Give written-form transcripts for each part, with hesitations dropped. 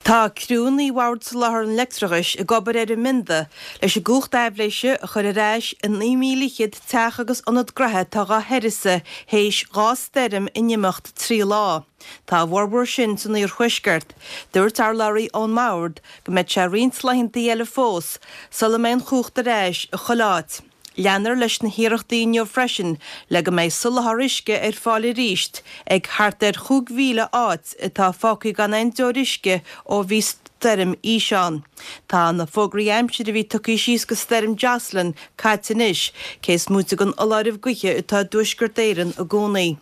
Tá criúnna Bhord Soláthair an Leictreachais ag obair ar an mbionda leis an gcumhacht aibhléise a chur ar ais i 9,000 fhichead teach agus ionad gnoithe atá dhá huireasa théis 2 stoirm in imeacht 3 lá. Tá a bhformhór sin san iarthuaisceart. Dúirt urlabhraí ón mBord go mbeidh sé roinnt laethanta eile fós sula mbeidh an chumhacht ar ais i chuile áit. Leanfar leis na hiarrachtaí inniu freisin le go mbeidh soláthar uisce ar fáil arís ag thart ar 5,000 áit atá fágtha gan aon deoir uisce ó bhí Stoirm Isha ann. Tá na fógraí aimsire a bhí tugtha síos go Stoirm Jocelyn caite anois, cé is móite den fholáireamh gaoithe atá i dTuaisceart Éireann i gcónaí.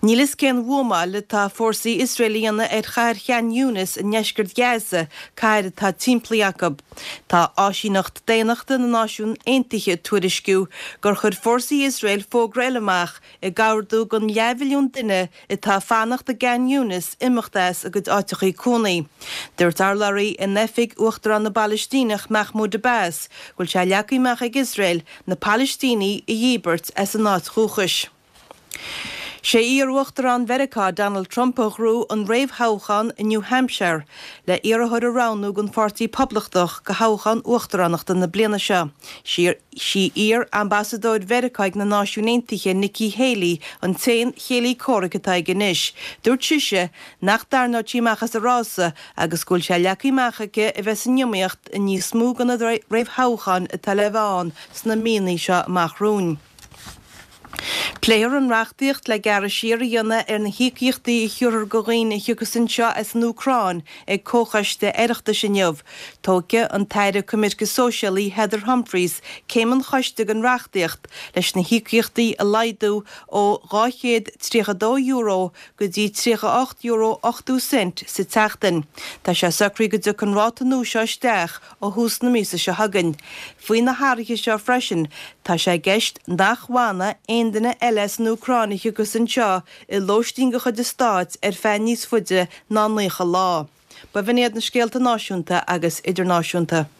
Níl fhios cén bhuamáil atá fórsaí Iosrael a dhéanamh ar chathair Khan Younis i ndeisceart Ghaza, cathair atá timpeallaithe acu. Tá Áisíneacht Daonnachta na Náisiún Aontaithe ag tuairisciú gur chuir fórsaí Iosrael fógra eile amach ag ordú don leathmhilliún duine atá ag fanacht i gKhan Younis imeacht as a gcuid áiteachaí cónaí. Dúirt urlabhraí in oifig Uachtarán na bPalaistíneach Mahmoud Abbas go bhfuil sé leagtha amach ag Iosrael na Palaistínigh a dhíbirt as a n-áit dhúchais. Sé iar-Uachtarán Mheiriceá Donald Trump a ghnóthaigh an réamhthoghchán i New Hampshire le iarrthóir a roghnú don Pháirtí Poblachtach do thoghchán uachtaránachta na bliana seo. Sí iar-ambasadóir Mheiriceá ag na Náisiúin Aontaithe Nikki Haley an t-aon chéile comhraic atá aige anois. Dúirt sise nach dtarraingeodh sí amach as an rása agus go bhfuil sé leagtha amach aici a bheith san iomaíocht i níos mó de na réamhthoghcháin atá le bheith ann sna míonna seo amach romhainn. Pléifear an reachtaíocht le gearradh siar a dhéanamh ar na híocaíochtaí a thiúrfar do dhaoine a thiocfas anseo as an Úcráin ag Comhchoiste Oireachtais inniu. Tógfaidh an tAire Coimirce Sóisialaí Heather Humphreys céim an choiste den reachtaíocht leis na híocaíochtaí a laghdú ó €232 go dtí €38.80 sa tseachtain. Tá sé socraithe go dtiocfaidh an ráta nua seo isteach ó thús na míosa seo chugainn. Faoi na hathruithe seo freisin, tá sé i gceist nach bhfanfaidh aon duine eile as an Úcráin a thiocfas anseo i lóistín de chuid an stáit ar feadh níos faide ná 90 lá. B'in iad na scéalta náisiúnta agus idirnáisiúnta.